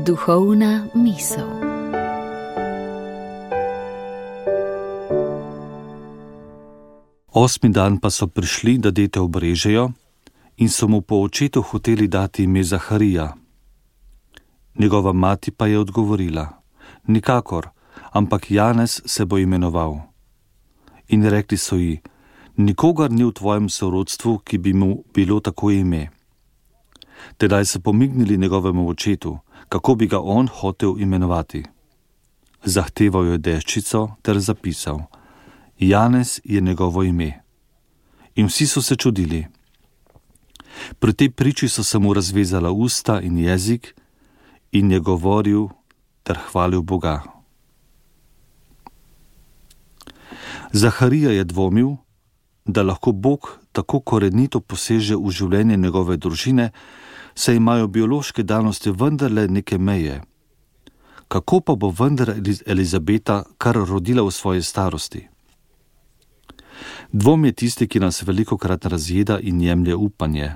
Duhovna misel. Osmi dan pa so prišli, da dete obrežejo, in so mu po očetu hoteli dati ime Zaharija. Njegova mati pa je odgovorila: nikakor, ampak Janez se bo imenoval. In rekli so ji: nikogar ni v tvojem sorodstvu, ki bi mu bilo tako ime. Tedaj so pomignili njegovemu očetu, kako bi ga on hotel imenovati. Zahteval je deščico ter zapisal: Janez je njegovo ime. In vsi so se čudili. Pri tej priči so se mu razvezala usta in jezik in je govoril ter hvalil Boga. Zaharija je dvomil, da lahko Bog tako korenito poseže v življenje njegove družine, saj imajo biološke danosti vendarle neke meje. Kako pa bo vendar Elizabeta kar rodila v svoji starosti? Dvom je tisti, ki nas velikokrat razjeda in jemlje upanje.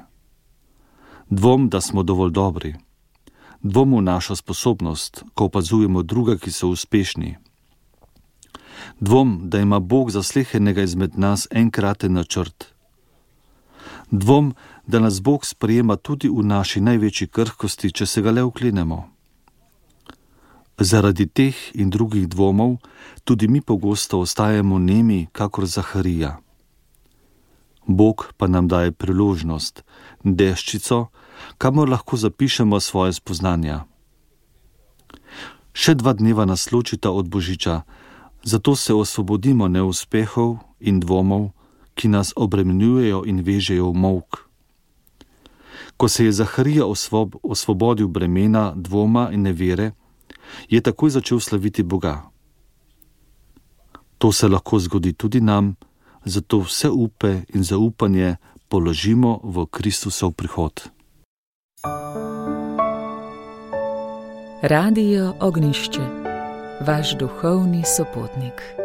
Dvom, da smo dovolj dobri. Dvom v našo sposobnost, ko opazujemo druga, ki so uspešni. Dvom, da ima Bog za slehernega izmed nas enkraten načrt. Dvom, da nas Bog sprejema tudi v naši največji krhkosti, če se ga le oklenemo. Zaradi teh in drugih dvomov tudi mi pogosto ostajamo nemi, kakor Zaharija. Bog pa nam daje priložnost, deščico, kamor lahko zapišemo svoje spoznanja. Še 2 dneva nas ločita od Božiča, zato se osvobodimo neuspehov in dvomov, ki nas obremenjujejo in vežejo v molk. Ko se je Zaharija osvobodil bremena, dvoma in nevere, je takoj začel slaviti Boga. To se lahko zgodi tudi nam, zato vse upe in zaupanje položimo v Kristusov prihod. Radio Ognjišče, vaš duhovni sopotnik.